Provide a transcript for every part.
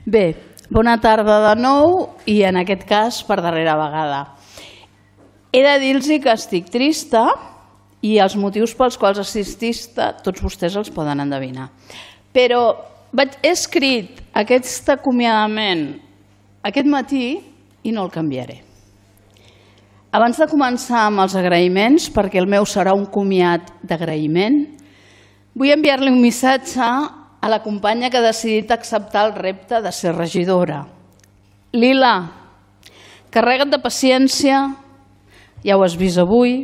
Bé, bona tarda de nou i en aquest cas per darrera vegada. He de dir-los que estic trista i els motius pels quals estic trista tots vostès els poden endevinar. Però he escrit aquest acomiadament aquest matí i no el canviaré. Abans de començar amb els agraïments, perquè el meu serà un comiat d'agraïment, vull enviar-li un missatge a la companya que ha decidit acceptar el repte de ser regidora. Lila, carrega't de paciència, ja ho has vist avui,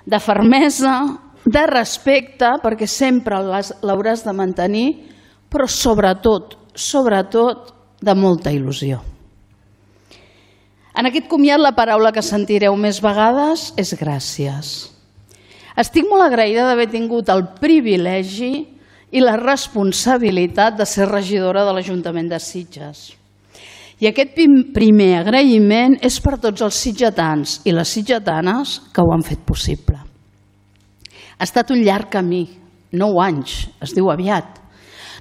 de fermesa, de respecte, perquè sempre l'hauràs de mantenir, però sobretot, de molta il·lusió. En aquest comiat la paraula que sentireu més vegades és gràcies. Estic molt agraïda d'haver tingut el privilegi i la responsabilitat de ser regidora de l'Ajuntament de Sitges. I aquest primer agraïment és per tots els sitgetans i les sitgetanes que ho han fet possible. Ha estat un llarg camí, 9 anys, es diu aviat,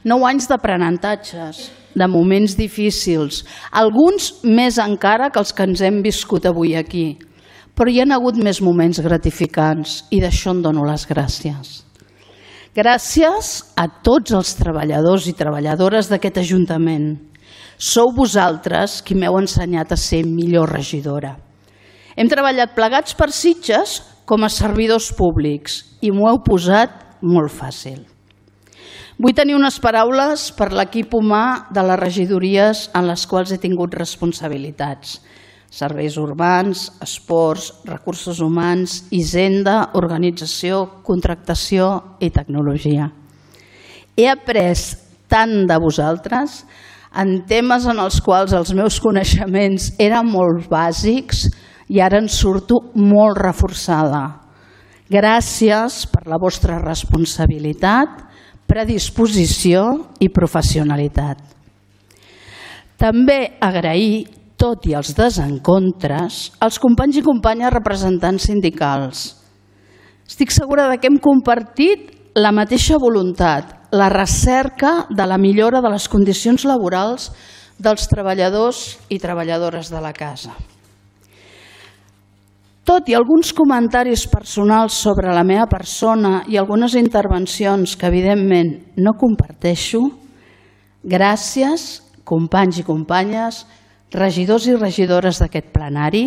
9 anys d'aprenentatges, de moments difícils, alguns més encara que els que ens hem viscut avui aquí, però hi ha hagut més moments gratificants i d'això en dono les gràcies. Gràcies a tots els treballadors i treballadores d'aquest Ajuntament. Sou vosaltres qui m'heu ensenyat a ser millor regidora. Hem treballat plegats per Sitges com a servidors públics i m'ho heu posat molt fàcil. Vull tenir unes paraules per l'equip humà de les regidories en les quals he tingut responsabilitats. Serveis urbans, esports, recursos humans, hisenda, organització, contractació i tecnologia. He après tant de vosaltres en temes en els quals els meus coneixements eren molt bàsics i ara en surto molt reforçada. Gràcies per la vostra responsabilitat, predisposició i professionalitat. També agrair, tot i els desencontres, als companys i companyes representants sindicals. Estic segura que hem compartit la mateixa voluntat, la recerca de la millora de les condicions laborals dels treballadors i treballadores de la casa. Tot i alguns comentaris personals sobre la meva persona i algunes intervencions que evidentment no comparteixo, gràcies, companys i companyes, regidors i regidores d'aquest plenari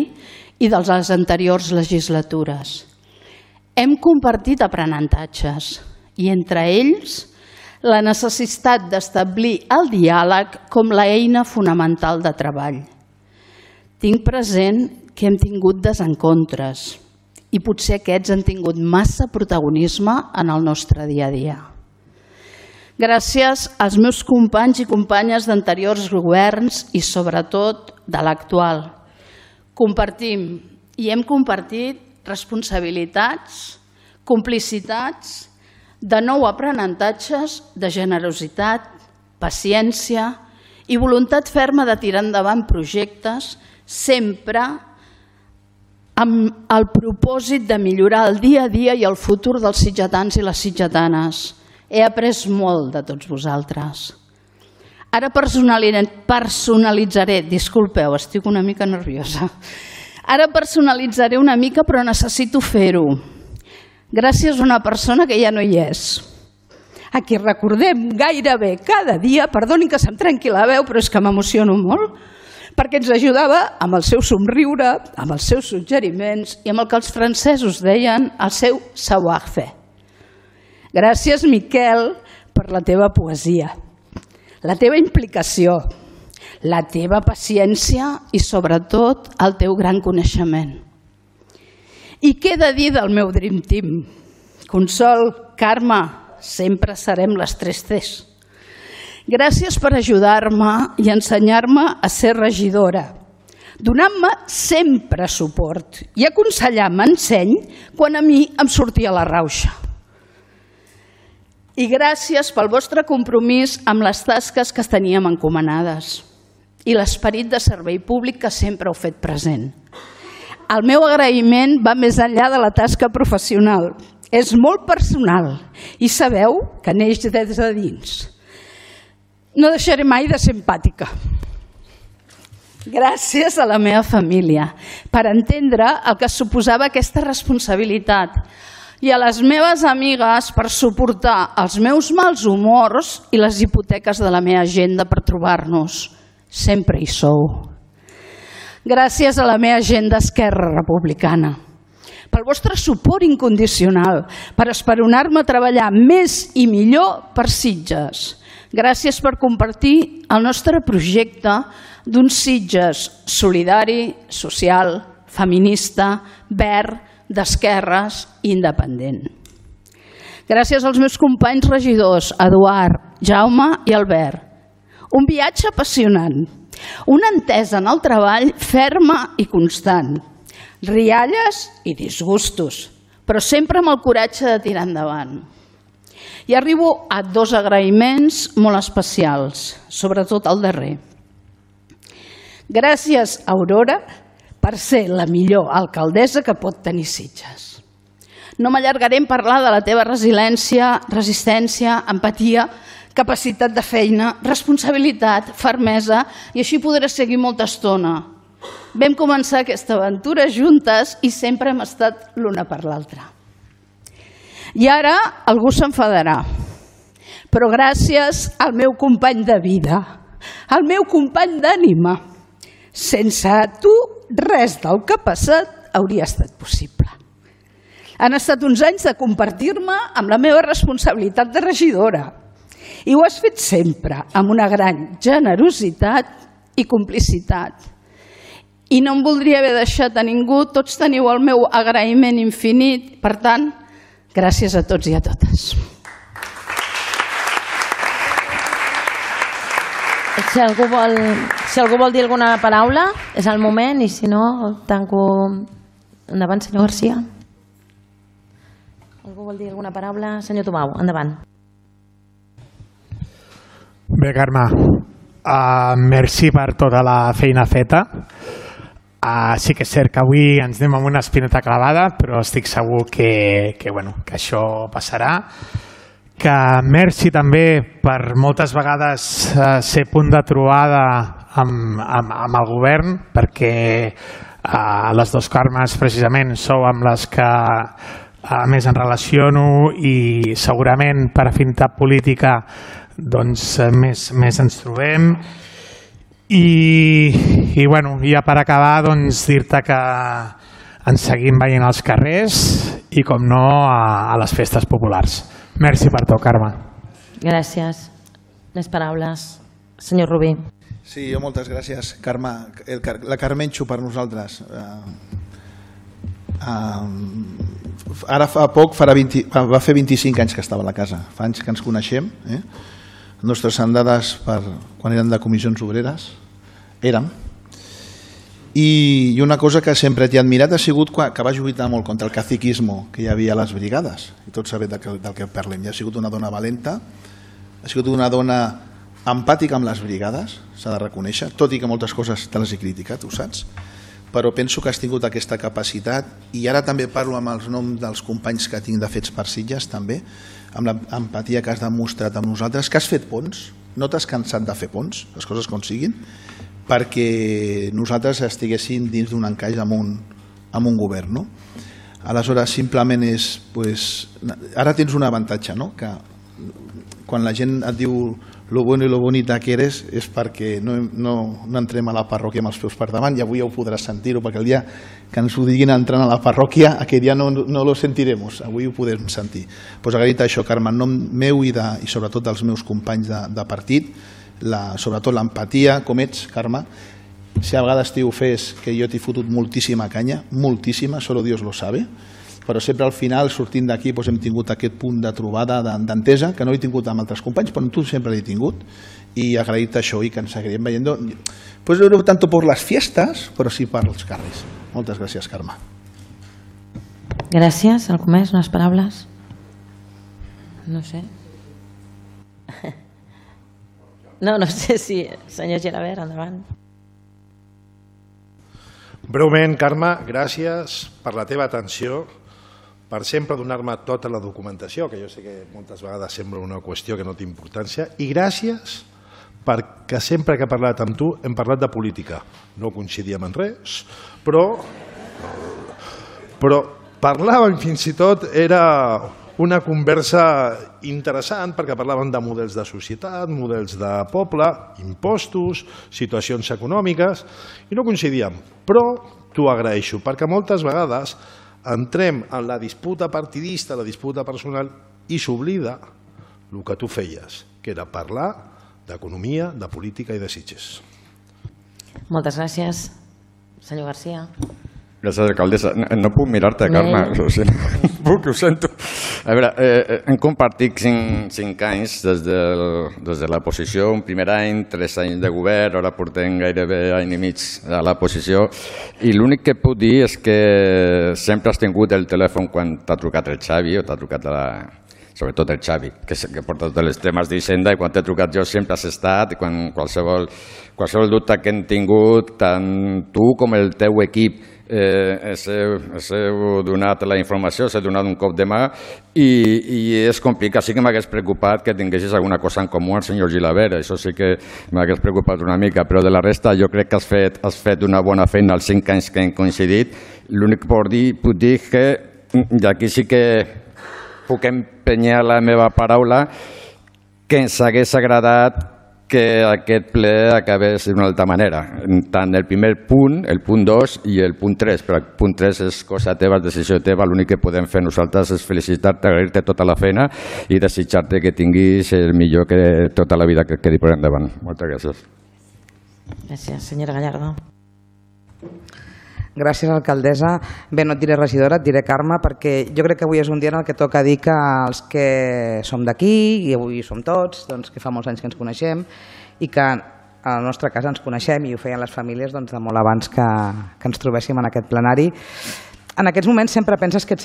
i de les anteriors legislatures. Hem compartit aprenentatges i entre ells la necessitat d'establir el diàleg com l'eina fonamental de treball. Tinc present que hem tingut desencontres i potser aquests han tingut massa protagonisme en el nostre dia a dia. Gràcies als meus companys i companyes d'anteriors governs i sobretot de l'actual. Compartim i hem compartit responsabilitats, complicitats, de nou aprenentatges, de generositat, paciència i voluntat ferma de tirar endavant projectes sempre amb el propòsit de millorar el dia a dia i el futur dels sitgetans i les sitgetanes. He après molt de tots vosaltres. Ara personalitzaré, disculpeu, estic una mica nerviosa. Ara personalitzaré una mica, però necessito fer-ho. Gràcies a una persona que ja no hi és. A qui recordem gairebé cada dia, perdonin que se'm trenqui la veu, però és que m'emociono molt, perquè ens ajudava amb el seu somriure, amb els seus suggeriments i amb el que els francesos deien el seu savoir-faire. Gràcies, Miquel, per la teva poesia, la teva implicació, la teva paciència i, sobretot, el teu gran coneixement. I què he de dir del meu Dream Team? Consol, Carme, sempre serem les 3 Cs. Gràcies per ajudar-me i ensenyar-me a ser regidora, donant-me sempre suport i aconsellant-me enseny quan a mi em sortia la rauxa. I gràcies pel vostre compromís amb les tasques que teníem encomanades i l'esperit de servei públic que sempre heu fet present. El meu agraïment va més enllà de la tasca professional. És molt personal i sabeu que neix des de dins. No deixaré mai de ser empàtica. Gràcies a la meva família per entendre el que suposava aquesta responsabilitat i a les meves amigues per suportar els meus mals humors i les hipoteques de la meva agenda per trobar-nos. Sempre hi sou. Gràcies a la meva gent d'Esquerra Republicana, pel vostre suport incondicional, per esperonar-me a treballar més i millor per Sitges. Gràcies per compartir el nostre projecte d'un Sitges solidari, social, feminista, verd, d'esquerres i independent. Gràcies als meus companys regidors, Eduard, Jaume i Albert. Un viatge apassionant, una entesa en el treball ferma i constant, rialles i disgustos, però sempre amb el coratge de tirar endavant. I arribo a 2 agraïments molt especials, sobretot el darrer. Gràcies, Aurora, per ser la millor alcaldessa que pot tenir Sitges. No m'allargaré en parlar de la teva resiliència, resistència, empatia, capacitat de feina, responsabilitat, fermesa, i així podré seguir molta estona. Vam començar aquesta aventura juntes i sempre hem estat l'una per l'altra. I ara algú s'enfadarà, però gràcies al meu company de vida, al meu company d'ànima. Sense tu, res del que ha passat hauria estat possible. Han estat uns anys de compartir-me amb la meva responsabilitat de regidora i ho has fet sempre amb una gran generositat i complicitat. I no em voldria haver deixat a ningú, tots teniu el meu agraïment infinit. Per tant, gràcies a tots i a totes. Si algú vol dir alguna paraula, és el moment, i si no, tanco. Endavant, senyor Garcia. Algú vol dir alguna paraula? Senyor Tomau, endavant. Bé, Carme, merci per tota la feina feta. Sí que és cert que avui ens anem amb una espineta clavada, però estic segur que això passarà. Que merci també per moltes vegades ser punt de trobada amb el govern, perquè les dues Carmes precisament sou amb les que més em relaciono i segurament per afinitat política doncs més ens trobem. I ja per acabar dir-te que ens seguim veient als carrers i com no a les festes populars. Merci per tot, Carme. Gràcies. Més paraules. Senyor Rubí. Sí, jo moltes gràcies, Carme. La Carmenxo per nosaltres. Ara fa poc, va fer 25 anys que estava a la casa. Fa anys que ens coneixem. Nostres andades quan eren de comissions obreres érem. I una cosa que sempre t'he admirat ha sigut que vas lluitar molt contra el caciquisme que hi havia a les brigades, i tots sabem del que parlem. Ha sigut una dona valenta, ha sigut una dona empàtica amb les brigades, s'ha de reconèixer, tot i que moltes coses te les he criticat, ho saps, però penso que has tingut aquesta capacitat, i ara també parlo amb els noms dels companys que tinc de Fets per Sitges, també, amb l'empatia que has demostrat amb nosaltres, que has fet ponts, no t'has cansat de fer ponts, les coses com siguin, perquè nosaltres estiguéssim dins d'un encaix amb un govern. No? Aleshores, simplement és... Ara tens un avantatge, no? Que quan la gent et diu lo bueno i lo bonita que eres és perquè no entrem a la parròquia amb els peus per davant, i avui ja ho podràs sentir-ho, perquè el dia que ens ho diguin entrant a la parròquia, aquell dia no lo sentirem, avui ho podem sentir. Pues agraït això, Carme, en nom meu i sobretot dels meus companys de partit, sobretot l'empatia, com ets, Carme. Si a vegades t'hi ofès que jo t'he fotut moltíssima canya, moltíssima, solo Dios lo sabe, però sempre al final, sortint d'aquí, hem tingut aquest punt de trobada, d'entesa, que no l'he tingut amb altres companys, però amb tu sempre l'he tingut, i agraït això i que ens seguirem veient, no tant per les fiestes, però sí per els carrers. Moltes gràcies, Carme. Gràcies. Algú més? Unes paraules? No sé. No sé si... Senyor Gelabert, endavant. Breument, Carme, gràcies per la teva atenció, per sempre donar-me tota la documentació, que jo sé que moltes vegades sembla una qüestió que no té importància, i gràcies perquè sempre que he parlat amb tu hem parlat de política. No coincidíem en res, però parlàvem, fins i tot era una conversa interessant perquè parlàvem de models de societat, models de poble, impostos, situacions econòmiques, i no coincidíem. Però t'ho agraeixo, perquè moltes vegades entrem en la disputa partidista, la disputa personal, i s'oblida el que tu feies, que era parlar d'economia, de política i de Sitges. Moltes gràcies. Senyor Garcia. Gràcies, alcaldessa. No puc mirar-te, Carme. Ho sento. A veure, hem compartit 5 anys des de la posició, un primer any, 3 anys de govern, ara portem gairebé any i mig a la posició, i l'únic que puc dir és que sempre has tingut el telèfon quan t'ha trucat el Xavi o t'ha trucat sobretot el Xavi, que porta tots els temes d'Hisenda, i quan t'he trucat jo sempre has estat, i quan qualsevol dubte que hem tingut, tant tu com el teu equip, heu donat la informació, s'ha donat un cop de mà, i és complicat. Sí que m'hagués preocupat que tinguessis alguna cosa en comú amb el senyor Gilabert, això sí que m'hagués preocupat una mica, però de la resta jo crec que has fet una bona feina els 5 anys que hem coincidit. L'únic que puc dir que, i aquí sí que puc empenyar la meva paraula, que ens hagués agradat que aquest ple acabés d'una altra manera. Tant el primer punt, el punt 2 i el punt 3, però el punt 3 és cosa teva, és decisió teva, l'únic que podem fer nosaltres és felicitar-te, agrair-te tota la feina i desitjar-te que tinguis el millor que tota la vida que quedi per endavant. Moltes gràcies. Gràcies. Senyora Gallardo. Gràcies, alcaldessa. Bé, no et diré regidora, et diré Carme, perquè jo crec que avui és un dia en el que toca dir que els que som d'aquí, i avui som tots, doncs, que fa molts anys que ens coneixem, i que a la nostra casa ens coneixem, i ho feien les famílies de molt abans que ens trobéssim en aquest plenari. En aquests moments sempre penses que et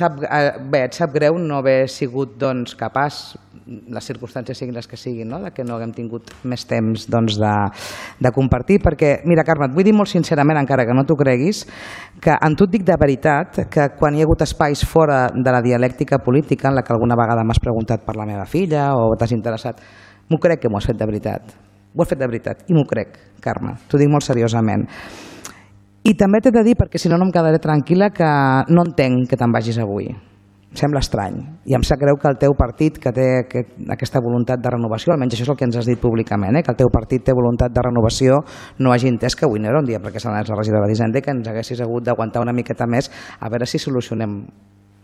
sap greu no haver sigut capaç, les circumstàncies siguin les que siguin, que no haguem tingut més temps de compartir, perquè, mira, Carme, et vull dir molt sincerament, encara que no t'ho creguis, que en tu et dic de veritat que quan hi ha hagut espais fora de la dialèctica política, en la que alguna vegada m'has preguntat per la meva filla o t'has interessat, m'ho crec que m'ho has fet de veritat. Ho has fet de veritat i m'ho crec, Carme, t'ho dic molt seriosament. I també t'he de dir, perquè si no no em quedaré tranquil·la, que no entenc que te'n vagis avui. Em sembla estrany. I em sap greu que el teu partit, que té aquesta voluntat de renovació, almenys això és el que ens has dit públicament, que el teu partit té voluntat de renovació, no hagi entès que avui no era un dia perquè se n'anés la regidora d'Hisenda i que ens haguessis hagut d'aguantar una miqueta més a veure si solucionem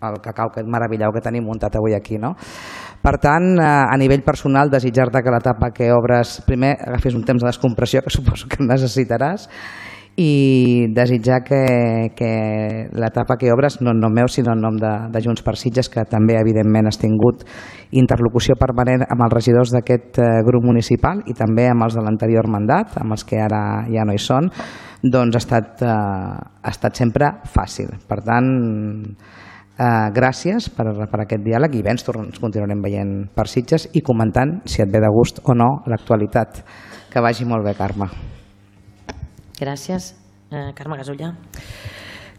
el cacau meravellau que tenim muntat avui aquí. Per tant, a nivell personal, desitjar-te que l'etapa que obres, primer agafis un temps de descompressió, que suposo que necessitaràs, i desitjar que l'etapa que obres, no en nom meu sinó en nom de Junts per Sitges, que també evidentment has tingut interlocució permanent amb els regidors d'aquest grup municipal i també amb els de l'anterior mandat, amb els que ara ja no hi són, doncs ha estat sempre fàcil. Per tant, gràcies per aquest diàleg i bé, ens continuarem veient per Sitges i comentant si et ve de gust o no l'actualitat. Que vagi molt bé, Carme. Gràcies. Carme Gasulla.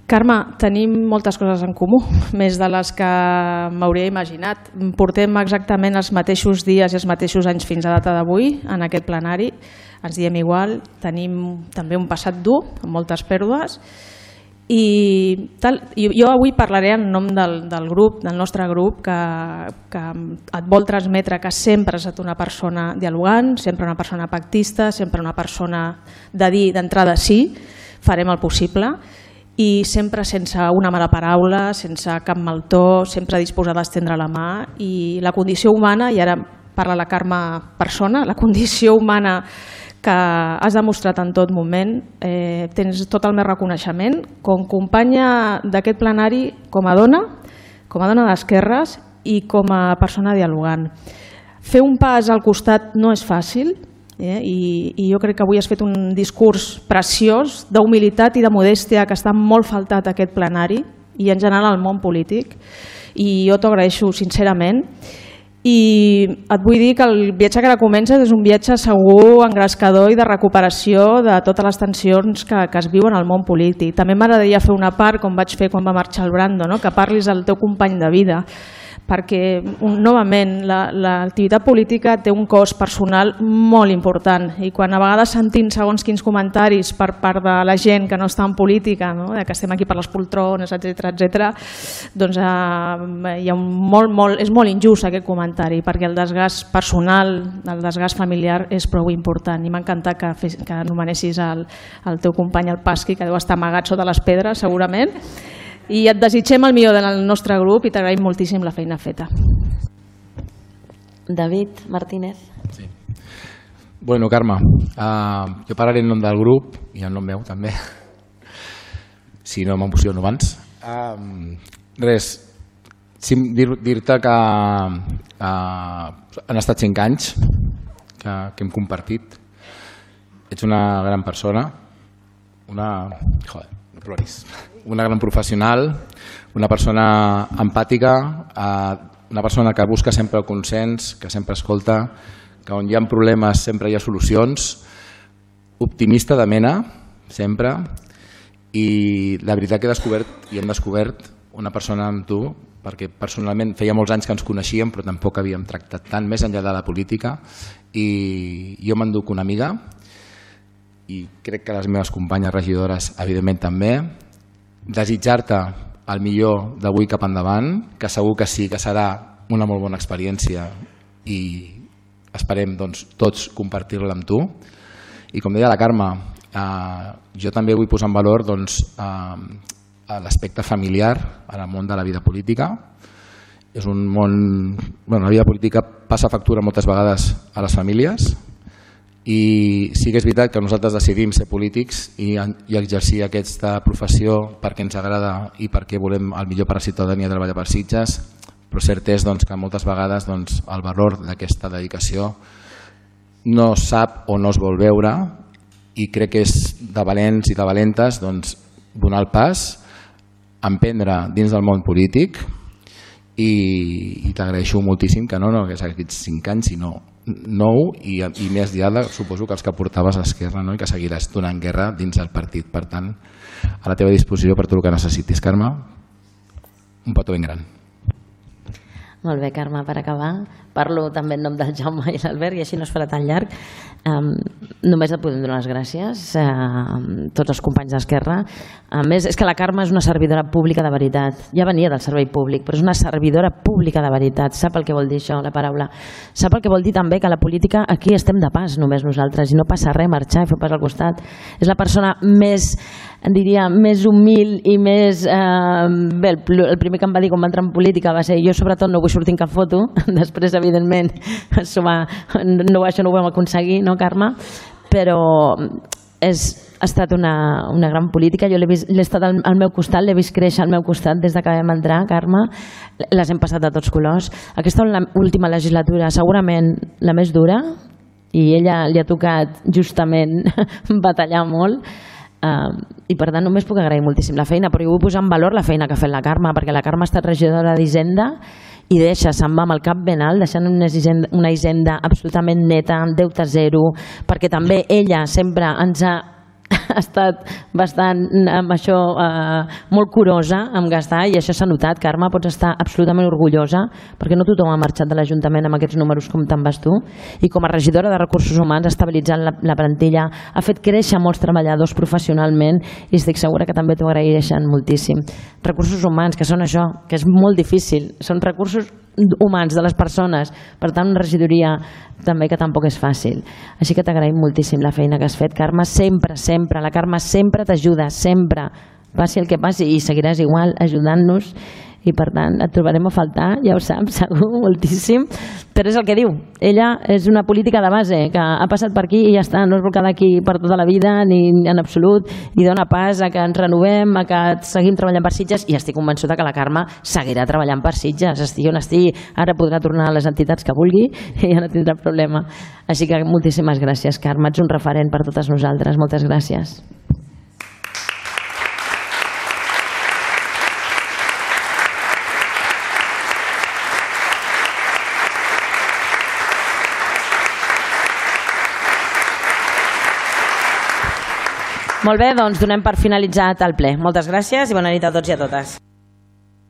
Carme, tenim moltes coses en comú, més de les que m'hauria imaginat. Portem exactament els mateixos dies i els mateixos anys fins a data d'avui en aquest plenari. Ens diem igual, tenim també un passat dur, amb moltes pèrdues. I jo avui parlaré en nom del grup, del nostre grup, que et vol transmetre que sempre has estat una persona dialogant, sempre una persona pactista, sempre una persona de dir d'entrada sí, farem el possible, i sempre sense una mala paraula, sense cap mal to, sempre disposada a estendre la mà. I la condició humana, i ara parla la Carme persona, la condició humana que has demostrat en tot moment, tens tot el meu reconeixement com companya d'aquest plenari, com a dona d'esquerres i com a persona dialogant. Fer un pas al costat no és fàcil, i jo crec que avui has fet un discurs preciós d'humilitat i de modèstia que està molt faltat a aquest plenari i en general al món polític, i jo t'ho agraeixo sincerament. I et vull dir que el viatge que ara comences és un viatge segur, engrescador i de recuperació de totes les tensions que es viuen al món polític. També m'agradaria fer una part, com vaig fer quan va marxar el Brando, que parlis del teu company de vida, perquè novament l'activitat política té un cost personal molt important i quan a vegades sentim segons quins comentaris per part de la gent que no està en política, que estem aquí per les poltrones, etc., doncs és molt injust aquest comentari perquè el desgast personal, el desgast familiar és prou important i m'ha encantat que anomenessis el teu company el Pasqui, que deu estar amagat sota les pedres segurament. I et desitgem el millor del nostre grup i t'agraïm moltíssim la feina feta. David Martínez. Sí. Bueno, Carme, jo parlaré en nom del grup i en nom meu també, si no m'emociono abans. Res, dir-te que han estat 5 anys que hem compartit. Ets una gran persona, una gran professional, una persona empàtica, una persona que busca sempre el consens, que sempre escolta, que on hi ha problemes sempre hi ha solucions, optimista de mena, sempre, i la veritat que he descobert i hem descobert una persona amb tu, perquè personalment feia molts anys que ens coneixíem però tampoc havíem tractat tant més enllà de la política, i jo m'enduc una amiga i crec que les meves companyes regidores evidentment també. Desitjar-te el millor d'avui cap endavant, que segur que sí, que serà una molt bona experiència i esperem tots compartir-la amb tu. I com deia la Carme, jo també vull posar en valor l'aspecte familiar en el món de la vida política. És un món... La vida política passa factura moltes vegades a les famílies i sí que és veritat que nosaltres decidim ser polítics i exercir aquesta professió perquè ens agrada i perquè volem el millor per a la ciutadania treballar per Sitges, però cert és que moltes vegades el valor d'aquesta dedicació no sap o no es vol veure i crec que és de valents i de valentes donar el pas, emprendre dins del món polític i t'agraeixo moltíssim que no hagués aquests 5 anys sinó 9 i més diada suposo que els que portaves a Esquerra i que seguiràs donant guerra dins del partit. Per tant, a la teva disposició per tot el que necessitis, Carme. Un petó ben gran. Molt bé, Carme, per acabar. Parlo també en nom del Jaume i l'Albert i així no es farà tan llarg. Només et podem donar les gràcies a tots els companys d'Esquerra. A més, és que la Carme és una servidora pública de veritat. Ja venia del servei públic, però és una servidora pública de veritat. Sap el que vol dir això, la paraula. Sap el que vol dir també que la política aquí estem de pas només nosaltres i no passa res marxar i fer pas al costat. És la persona més, diria, més humil i més... Bé, el primer que em va dir quan va entrar en política va ser jo sobretot no vull sortir en cap foto, després evidentment això no ho vam aconseguir, no Carme? Però ha estat una gran política, jo l'he estat al meu costat, l'he vist créixer al meu costat des que vam entrar, Carme, les hem passat a tots colors. Aquesta última legislatura segurament la més dura i ella li ha tocat justament batallar molt. I per tant només puc agrair moltíssim la feina, però jo vull posar en valor la feina que ha fet la Carme, perquè la Carme ha estat regidora d'Hisenda i se'n va amb el cap ben alt, deixant una hisenda absolutament neta, amb deute zero, perquè també ella sempre ens ha estat bastant amb això molt curosa amb gastar i això s'ha notat. Carme, pots estar absolutament orgullosa perquè no tothom ha marxat de l'Ajuntament amb aquests números com te'n vas tu i com a regidora de Recursos Humans ha estabilitzat la plantilla, ha fet créixer molts treballadors professionalment i estic segura que també t'ho agraeixen moltíssim. Recursos Humans, que són això, que és molt difícil, són recursos humans de les persones, per tant una regidoria també que tampoc és fàcil, així que t'agraïm moltíssim la feina que has fet, Carme. Sempre la Carme sempre t'ajuda, sempre, passi el que passi, i seguiràs igual ajudant-nos i per tant et trobarem a faltar, ja ho saps, segur, moltíssim, però és el que diu, ella és una política de base que ha passat per aquí i ja està, no es vol quedar aquí per tota la vida ni en absolut, i dona pas a que ens renovem, a que seguim treballant per Sitges, i estic convençuda que la Carme seguirà treballant per Sitges, estigui on estigui, ara podrà tornar a les entitats que vulgui i ja no tindrà problema. Així que moltíssimes gràcies, Carme, ets un referent per totes nosaltres, moltes gràcies. Molt bé, doncs donem per finalitzat el ple. Moltes gràcies i bona nit a tots i a totes.